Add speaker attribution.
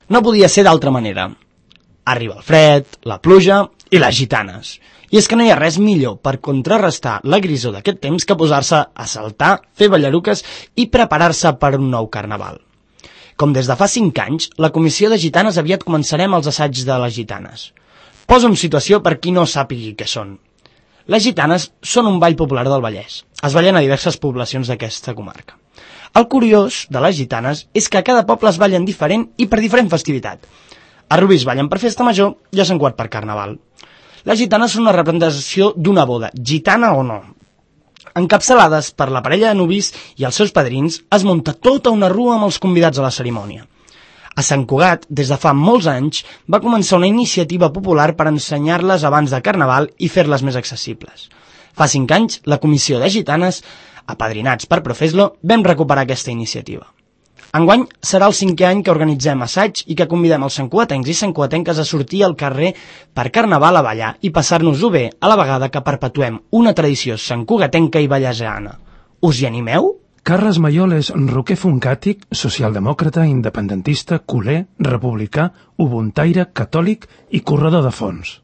Speaker 1: No podia ser d'altra manera. Arriba el fred, la pluja i les gitanes. I és que no hi ha res millor per contrarrestar la grisor d'aquest temps que posar-se a saltar, fer ballaruques i preparar-se per un nou carnaval. Com des de fa 5 anys, la Comissió de Gitanes aviat començarem els assaigs de les gitanes. Poso en situació per qui no sàpigui què són. Les gitanes són un ball popular del Vallès. Es ballen a diverses poblacions d'aquesta comarca. El curiós de les gitanes és que a cada poble es ballen diferent i per diferent festivitat. A Rubí es ballen per festa major i a Sant Cugat per carnaval. Les gitanes són una representació d'una boda, gitana o no. Encapçalades per la parella de nuvis i els seus padrins, es munta tota una rua amb els convidats a la cerimònia. A Sant Cugat, des de fa molts anys, va començar una iniciativa popular per ensenyar-les abans de Carnaval i fer-les més accessibles. Fa 5 anys, la Comissió de Gitanes, apadrinats per Profeslo, vam recuperar aquesta iniciativa. Enguany serà el 5è any que organitzem assaig i que convidem els santcugatencs i santcugatenques a sortir al carrer per Carnaval a ballar i passar-nos-ho bé a la vegada que perpetuem una tradició santcugatenca i vallesana. Us hi animeu?
Speaker 2: Carles Mayol és roquer funkàtic, socialdemòcrata, independentista, culer, republicà, ubuntaire, catòlic i corredor de fons.